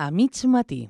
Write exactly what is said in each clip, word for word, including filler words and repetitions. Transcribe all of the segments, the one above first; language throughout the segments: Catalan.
a mig matí.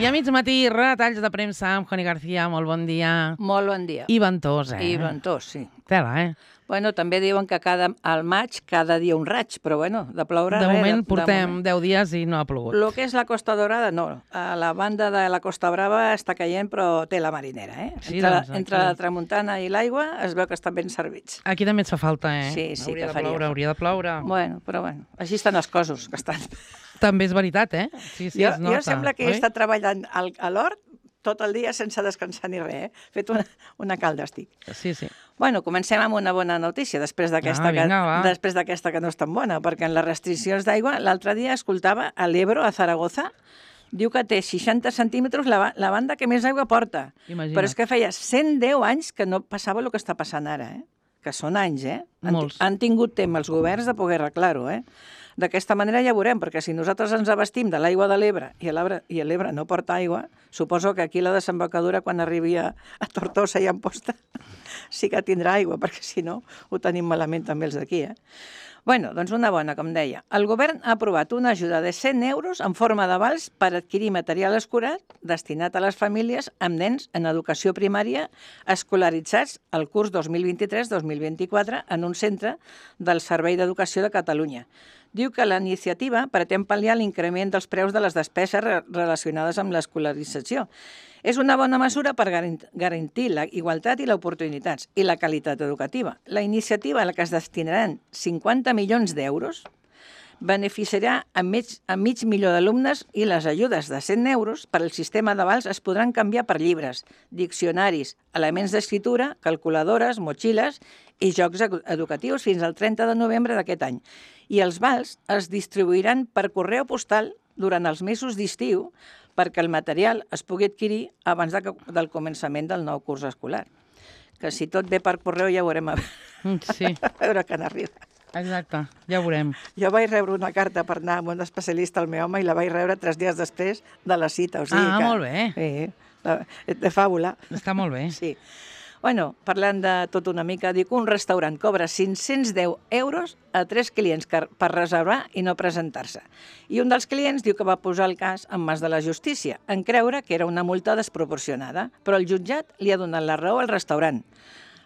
I a mig matí, retalls de premsa amb Joni García. Molt bon dia. Molt bon dia. I ventós, eh? I ventós, sí. Tela, eh? Bueno, també diuen que cada, al maig cada dia un raig, però bueno, de ploure... De res, moment de, portem de moment. deu dies i no ha plogut. Lo que és la Costa Dorada, no. A la banda de la Costa Brava està caient, però té la marinera, eh? Sí, entre, doncs, aquí... entre la tramuntana i l'aigua es veu que estan ben servits. Aquí també ens fa falta, eh? Sí, sí, hauria que de faria. ploure, hauria de ploure. Bueno, però bueno, així estan els cossos, que estan... També és veritat, eh? Sí, sí, jo, es nota. jo sembla que oi? he estat treballant al, a l'hort tot el dia sense descansar ni res, eh? He fet una, una calda, estic. Sí, sí. Bueno, comencem amb una bona notícia, després d'aquesta Ah, vinga, va. que, després d'aquesta que no és tan bona, perquè en les restriccions d'aigua, l'altre dia escoltava a l'Ebro, a Zaragoza, diu que té seixanta centímetres la, ba- la banda que més aigua porta. Imagina't. Però és que feia cent deu anys que no passava el que està passant ara, eh? Que són anys, eh? Han, Molts. han tingut temps els governs de poder arreglar-ho, eh? D'aquesta manera ja veurem, perquè si nosaltres ens abastim de l'aigua de l'Ebre i a l'Ebre i a l'Ebre no porta aigua, suposo que aquí la desembocadura, quan arribi a, a Tortosa i a Amposta, sí que tindrà aigua, perquè si no ho tenim malament també els d'aquí, eh? Bueno, doncs una bona, com deia. El govern ha aprovat una ajuda de cent euros en forma d'avals per adquirir material escolar destinat a les famílies amb nens en educació primària escolaritzats al curs dos mil vint-i-tres dos mil vint-i-quatre en un centre del Servei d'Educació de Catalunya. Diu que la iniciativa pretén pal·liar l'increment dels preus de les despeses re- relacionades amb l'escolarització. És una bona mesura per garan- garantir la igualtat i les oportunitats i la qualitat educativa. La iniciativa a la que es destinaran cinquanta milions d'euros beneficiarà a mig, a mig milió d'alumnes i les ajudes de cent euros per al sistema d'avals es podran canviar per llibres, diccionaris, elements d'escriptura, calculadores, motxilles i jocs edu- educatius fins al trenta de novembre d'aquest any. I els vals es distribuiran per correu postal durant els mesos d'estiu perquè el material es pugui adquirir abans de, que- del començament del nou curs escolar. Que si tot ve per correu ja veurem a, Mm, Sí, a veure quan arriba. exacte. Ja ho veurem. Jo vaig rebre una carta per anar amb un especialista al meu home i la vaig rebre tres dies després de la cita. O sigui Ah, que, molt bé. Sí, la- de fàbula. Està molt bé. Sí. Bueno, parlant de tot una mica, dic que un restaurant cobra cinc-cents deu euros a tres clients que- per reservar i no presentar-se. I un dels clients diu que va posar el cas en mans de la justícia, en creure que era una multa desproporcionada, però el jutjat li ha donat la raó al restaurant.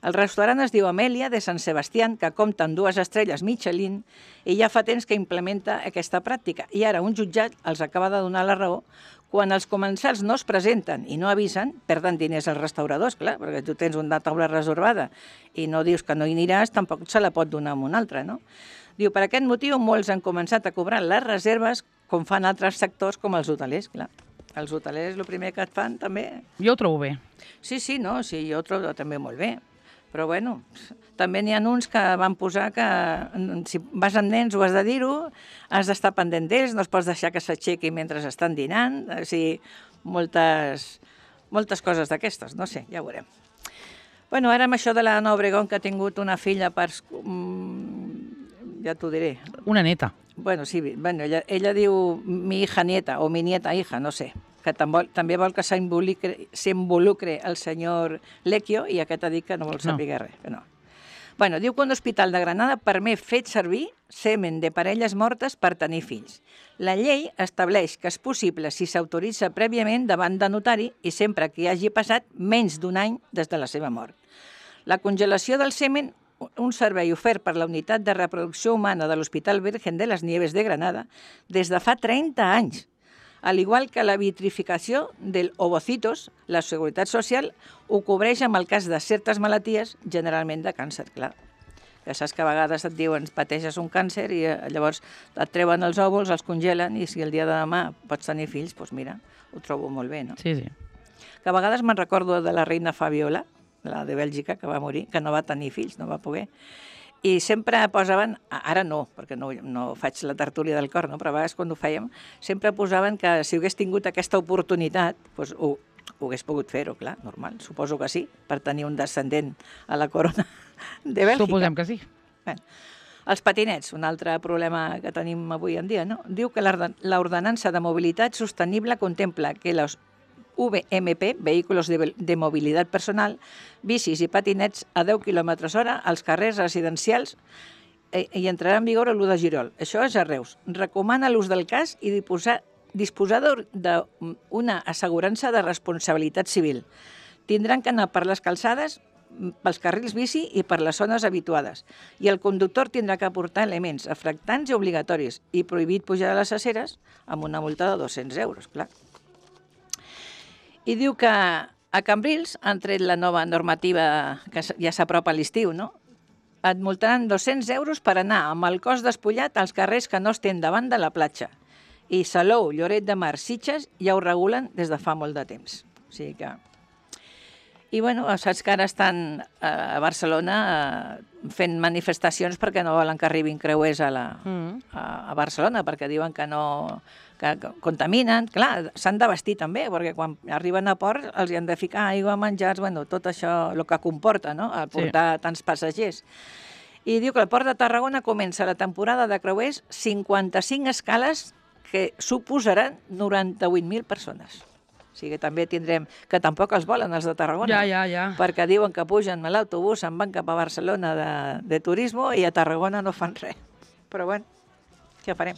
El restaurant es diu Amèlia de Sant Sebastián, que compta amb dues estrelles Michelin i ja fa temps que implementa aquesta pràctica. I ara un jutjat els acaba de donar la raó. Quan els comensals no es presenten i no avisen, perden diners als restauradors, clar, perquè tu tens una taula reservada i no dius que no hi aniràs, tampoc se la pot donar a un altre, no? Diu, per aquest motiu, molts han començat a cobrar les reserves com fan altres sectors com els hotelers, clar. Els hotelers, el primer que et fan, també... Jo ho trobo bé. Sí, sí, no, sí, jo ho trobo també molt bé. Però, bueno, també n'hi ha uns que van posar que mm, si vas amb nens ho has de dir-ho, has d'estar pendent d'ells, no es pots deixar que s'aixequi mentre estan dinant, o sigui, moltes, moltes coses d'aquestes, no sé, ja ho veurem. Bueno, ara amb això de la Ana Obregón, que ha tingut una filla per... Mm, ja t'ho diré. Una neta. Bueno, sí, bueno, ella, ella diu mi hija nieta o mi nieta hija, no sé, que també, també vol que s'involucre s'involucre el senyor Lecchio i aquest ha dit que no vol saber No. res, que no. Bueno, diu que un hospital de Granada permet fer servir semen de parelles mortes per tenir fills. La llei estableix que és possible si s'autoritza prèviament davant de notari i sempre que hi hagi passat menys d'un any des de la seva mort. La congelació del semen, un servei ofert per la Unitat de Reproducció Humana de l'Hospital Virgen de les Nieves de Granada des de fa trenta anys. Al igual que la vitrificació del ovocitos, la Seguretat Social ho cobreix amb el cas de certes malalties, generalment de càncer, clar. Ja saps que a vegades et diuen pateixes un càncer i eh, llavors et treuen els òvuls, els congelen i si el dia de demà pots tenir fills, doncs mira, ho trobo molt bé, no? Sí, sí. Que a vegades me'n recordo de la reina Fabiola, la de Bèlgica, que va morir, que no va tenir fills, no va poder. I sempre posaven, ara no, perquè no, no faig la tertúlia del cor, no? Però a vegades quan ho fèiem, sempre posaven que si hagués tingut aquesta oportunitat, doncs ho, ho hagués pogut fer-ho, clar, normal, suposo que sí, per tenir un descendent a la corona de Bèlgica. Suposem que sí. Bé, els patinets, un altre problema que tenim avui en dia, no? Diu que l'ordenança de mobilitat sostenible contempla que les V M P, Vehículos de, de Mobilitat Personal, bicis i patinets a deu quilòmetres hora als carrers residencials eh, i entrarà en vigor l'u de juliol. Això és a Reus. Recomana l'ús del casc i disposar, disposar d'una assegurança de responsabilitat civil. Tindran que anar per les calçades, pels carrils bici i per les zones habituades. I el conductor tindrà que aportar elements afectants i obligatoris i prohibit pujar a les aceres amb una multa de dos-cents euros, clar. I diu que a Cambrils han tret la nova normativa que ja s'apropa a l'estiu, no? Et multaran dos-cents euros per anar amb el cos despullat als carrers que no estén davant de la platja. I Salou, Lloret de Mar, Sitges ja ho regulen des de fa molt de temps. O sigui que... I, bueno, saps que ara estan a Barcelona fent manifestacions perquè no volen que arribin creuers a, la, mm. a, a Barcelona, perquè diuen que no... que contaminen. Clar, s'han de vestir també, perquè quan arriben a port els hi han de ficar aigua, menjars, bueno, tot això, el que comporta, no?, el portar sí. tants passatgers. I diu que al Port de Tarragona comença la temporada de creuers cinquanta-cinc escales que suposaran noranta-vuit mil persones. O sigui, també tindrem, que tampoc els volen, els de Tarragona, ja, ja, ja. perquè diuen que pugen a l'autobús, se'n van cap a Barcelona de, de turisme i a Tarragona no fan res. Però bueno, què farem?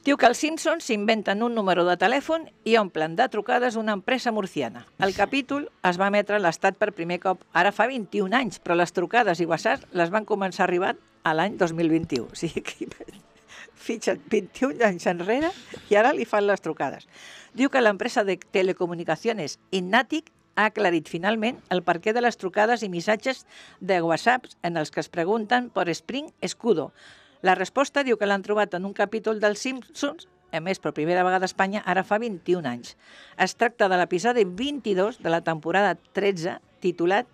Diu que els Simpsons s'inventen un número de telèfon i omplen de trucades una empresa murciana. El capítol es va emetre a l'Estat per primer cop ara fa vint-i-un anys, però les trucades i whatsapps les van començar a arribar a l'any dos mil vint-i-u. O sigui que fitxa't vint-i-un anys enrere i ara li fan les trucades. Diu que l'empresa de telecomunicacions Innatic ha aclarit finalment el perquè de les trucades i missatges de WhatsApp en els que es pregunten per Spring Escudo. La resposta diu que l'han trobat en un capítol dels Simpsons, a més per primera vegada a Espanya, ara fa vint-i-un anys. Es tracta de l'episodi vint-i-dos de la temporada tretze, titulat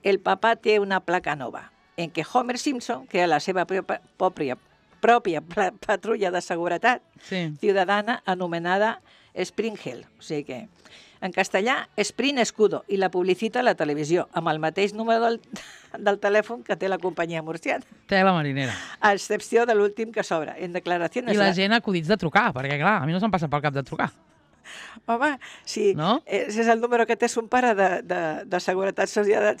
El papà té una placa nova, en què Homer Simpson crea la seva pròpia, pròpia patrulla de seguretat sí. ciutadana anomenada Spring Hill. O sigui que, en castellà, Spring Escudo, i la publicita a la televisió, amb el mateix número del, del telèfon que té la companyia murciana. Té la marinera. A excepció de l'últim que s'obre. En declaracions... I la gent acudits de trucar, perquè clar, a mi no se'm passa pel cap de trucar. Home, si no? és el número que té son pare de, de, de Seguretat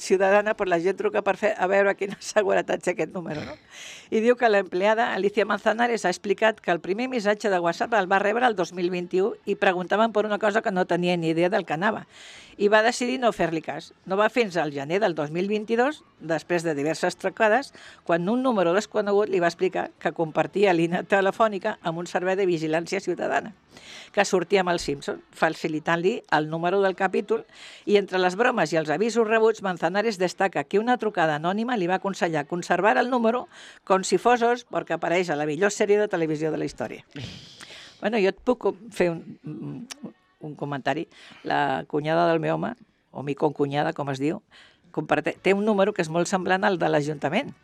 Ciutadana, però la gent truca per fer, a veure quina seguretat té aquest número, no? I diu que l'empleada Alicia Manzanares ha explicat que el primer missatge de WhatsApp el va rebre el dos mil vint-i-u i preguntaven per una cosa que no tenia ni idea del que anava. I va decidir no fer-li cas. No va fins al gener del dos mil vint-i-dos, després de diverses trucades, quan un número desconegut li va explicar que compartia línia telefònica amb un servei de vigilància ciutadana, que sortia amb el Simpson, facilitant-li el número del capítol, i entre les bromes i els avisos rebuts, Manzanares destaca que una trucada anònima li va aconsellar conservar el número com si fos os, perquè apareix a la millor sèrie de televisió de la història. Bueno, jo et puc fer un, un comentari. La cunyada del meu home, o mi concunyada, com es diu, té un número que és molt semblant al de l'Ajuntament.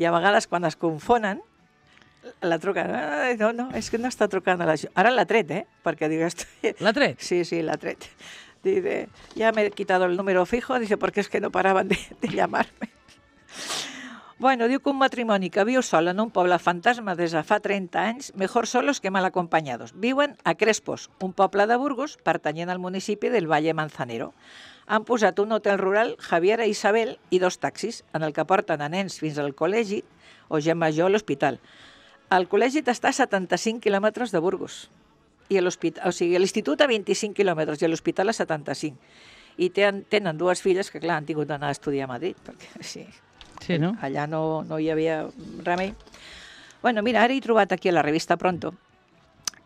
I a vegades, quan es confonen, la truca, no, no, és que no està trucant a l'Ajuntament. Ara l'ha tret, eh? Perquè diu... Estoy... ¿La tret? Sí, sí, l'ha tret. Dice, ya me he quitado el número fijo, dice, porque es que no paraban de, de llamarme. Bueno, diu que un matrimoni que viu sol en un poble fantasma des de fa trenta anys, mejor solos que mal acompañados. Viuen a Crespos, un poble de Burgos pertanyent al municipi del Valle Manzanero. Han posat un hotel rural, Javier i Isabel, i dos taxis, en el que porten a nens fins al col·legi o gent major a l'hospital. El col·legi està a setanta-cinc quilòmetres de Burgos, i l'hospital, o sigui, l'institut a vint-i-cinc quilòmetres i l'hospital a setanta-cinc. I tenen, tenen dues filles que, clar, han tingut d'anar a estudiar a Madrid, perquè sí, sí, no? allà no, no hi havia remei. Bueno, mira, ara he trobat aquí a la revista Pronto,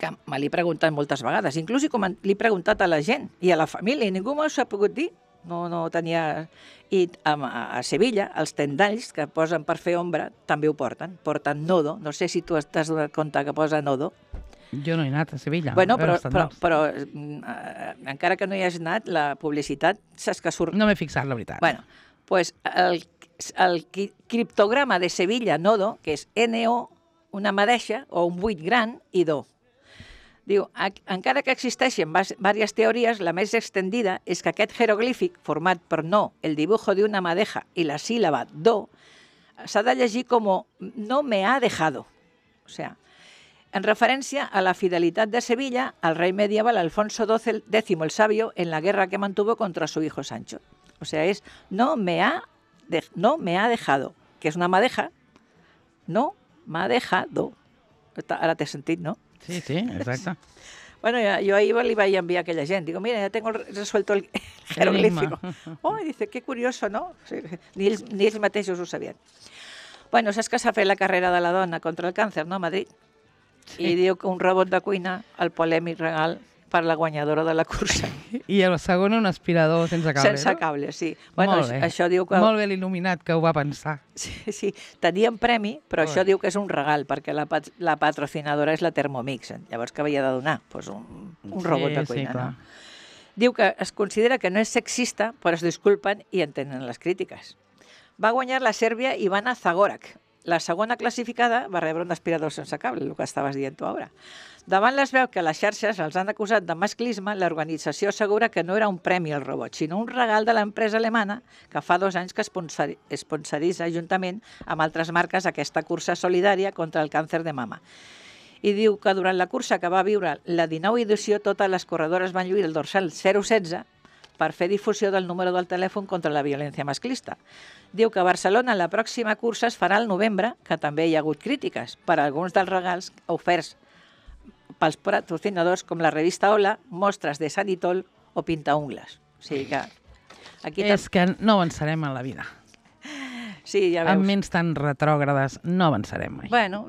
que me l'he preguntat moltes vegades, inclús l'he preguntat a la gent i a la família, i ningú m'ho ha pogut dir. No, no tenia... I a, a Sevilla, els tendalls que posen per fer ombra també ho porten. Porten nodo. No sé si tu t'has donat compte que posa nodo. Jo no he anat a Sevilla. Bueno, però, però, però eh, encara que no hi hagis anat, la publicitat saps que surt... No m'he fixat, la veritat. Bueno, pues el, el criptograma de Sevilla, nodo, que és ene o, una madeixa o un buit gran, i do. Diu, encara que existeixen diverses teories, la més extendida és que aquest jeroglífic, format per no, el dibujo de una madeja i la síl·laba do, s'ha de llegir com no me ha dejado. O sigui, en referència a la fidelitat de Sevilla al rey medieval Alfonso doce X el Sabio en la guerra que mantuvo contra su hijo Sancho. O sea, es no me ha, de, no me ha dejado, que és una madeja, no m'ha dejado. Ara t'he sentit, no? Sí, sí, exacte. Bueno, yo ahí le iba a enviar a aquella gente. Digo, mira, ya tengo resuelto el jeroglífico. Oh, y dice, qué curioso, ¿no? Sí, ni, ells, ni ells mateixos ho sabien. Bueno, saps que s'ha fet la carrera de la dona contra el càncer, no, a Madrid? Sí. I diu que un robot de cuina, el polèmic regal per la guanyadora de la cursa. I el segon un aspirador sense cable, sense no? cable, sí. Bueno, Molt bé. Això diu que... Molt bé l'il·luminat que ho va pensar. Sí, sí, tenien premi, però Ui. això diu que és un regal, perquè la, pat la patrocinadora és la Thermomix. Llavors, què havia de donar? Pues un, un robot sí, de cuina, sí, clar. no? Diu que es considera que no és sexista, però es disculpen i entenen les crítiques. Va guanyar la Sèrbia Ivana Zagorak. La segona classificada va rebre un aspirador sense cable, el que estaves dient tu ara. Davant les veus que les xarxes els han acusat de masclisme, l'organització assegura que no era un premi al robot, sinó un regal de l'empresa alemana que fa dos anys que sponsoritza juntament amb altres marques aquesta cursa solidària contra el càncer de mama. I diu que durant la cursa que va viure la dinou edició, totes les corredores van lluir el dorsal zero setze per fer difusió del número del telèfon contra la violència masclista. Diu que a Barcelona la pròxima cursa es farà al novembre, que també hi ha hagut crítiques per a alguns dels regals oferts pels patrocinadors com la revista Hola, mostres de Sanitol o Pintaungles. O sigui que... Aquí És que no avançarem en la vida. Sí, ja veus. Amb ments tan retrògrades no avançarem mai. Bueno,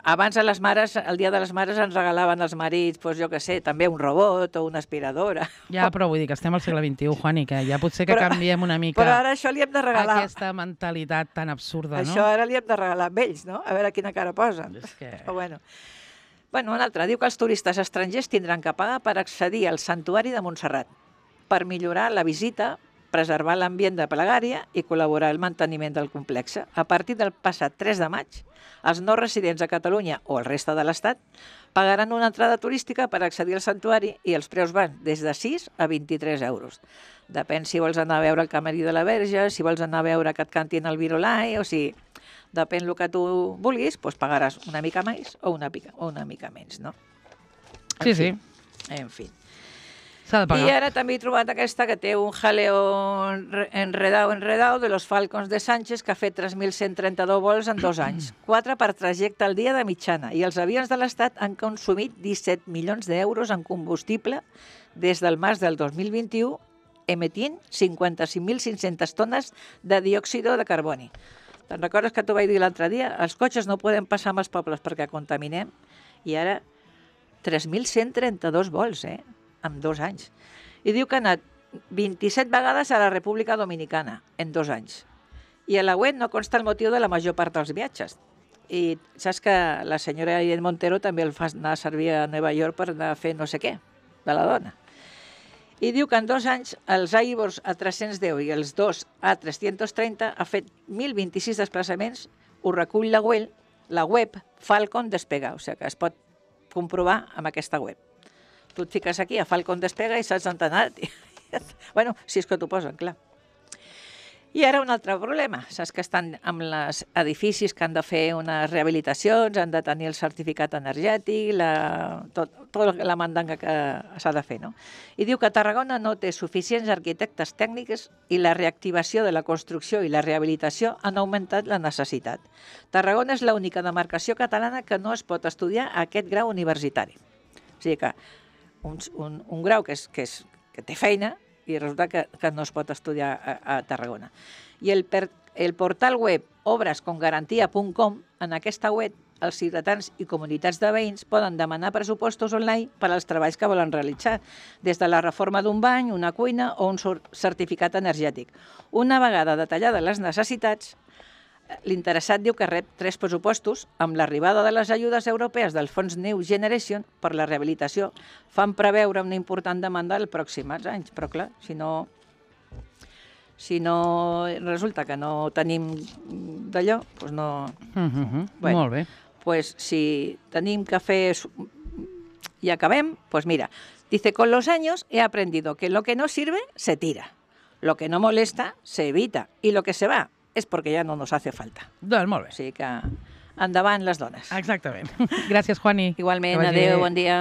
abans a les mares, el dia de les mares ens regalaven als marits, doncs jo què sé, també un robot o una aspiradora. Ja, però vull dir que estem al segle vint-i-u, Juani, que ja potser que Però- canviem una mica Però ara això li hem de regalar. aquesta mentalitat tan absurda, Això no? ara li hem de regalar a ells, no? A veure quina cara posen. És que... Però bueno. Bueno, un altre. Diu que els turistes estrangers tindran que pagar per accedir al santuari de Montserrat per millorar la visita, preservar l'ambient de plegària i col·laborar al manteniment del complex. A partir del passat tres de maig, els no residents a Catalunya o el reste de l'Estat pagaran una entrada turística per accedir al santuari i els preus van des de sis a vint-i-tres euros. Depèn si vols anar a veure el camerí de la Verge, si vols anar a veure que et cantin el virolai, o si depèn el que tu vulguis, doncs pagaràs una mica més o una, pica, o una mica menys, no? En Sí, fi, sí, En fi. s'ha de I pagar. ara també he trobat aquesta que té un jaleo enredado, enredado de los Falcons de Sánchez que ha fet tres mil cent trenta-dos vols en dos anys, quatre per trajecte al dia de mitjana, i els avions de l'Estat han consumit disset milions d'euros en combustible des del març del dos mil vint-i-u, emetint cinquanta-cinc mil cinc-centes tones de diòxido de carboni. Te'n recordes que t'ho vaig dir l'altre dia? Els cotxes no poden passar amb els pobles perquè contaminem, i ara tres mil cent trenta-dos vols, eh? En dos anys. I diu que ha anat vint-i-set vegades a la República Dominicana en dos anys. I a la web no consta el motiu de la major part dels viatges. I saps que la senyora Irene Montero també el fa anar a servir a Nova York per anar a fer no sé què, de la dona. I diu que en dos anys els Aibors A tres-cents deu i els dos A tres-cents trenta ha fet mil vint-i-sis desplaçaments, ho recull la web, la web Falcon Despega, o sigui que es pot comprovar amb aquesta web. Tu et fiques aquí a Falcon Despega i saps on t'ha anat. Bueno, si és que t'ho posen, clar. I ara un altre problema. Saps que estan amb els edificis que han de fer unes rehabilitacions, han de tenir el certificat energètic, la, tot, tota la mandanga que s'ha de fer, no? I diu que Tarragona no té suficients arquitectes tècnics i la reactivació de la construcció i la rehabilitació han augmentat la necessitat. Tarragona és l'única demarcació catalana que no es pot estudiar a aquest grau universitari. O sigui que un, un, un grau que, és, que, és, que té feina i resulta que, que no es pot estudiar a, a Tarragona. I el, per, el portal web obrescongarantia punt com, en aquesta web, els ciutadans i comunitats de veïns poden demanar pressupostos online per als treballs que volen realitzar, des de la reforma d'un bany, una cuina o un certificat energètic. Una vegada detallades les necessitats, l'interessat diu que rep tres pressupostos amb l'arribada de les ajudes europees del fons New Generation per la rehabilitació. Fan preveure una important demanda els pròxims anys, però clar, si no, si no resulta que no tenim d'allò, doncs no... Uh -huh. Bueno, Molt bé. Pues si tenim que fer i acabem, pues mira, dice, con los años he aprendido que lo que no sirve se tira, lo que no molesta se evita y lo que se va es porque ya no nos hace falta. Doncs molt bé. O sigui que endavant les dones. Exactament. Gràcies, Juani. Igualment, Que vagi adéu, bé. bon dia.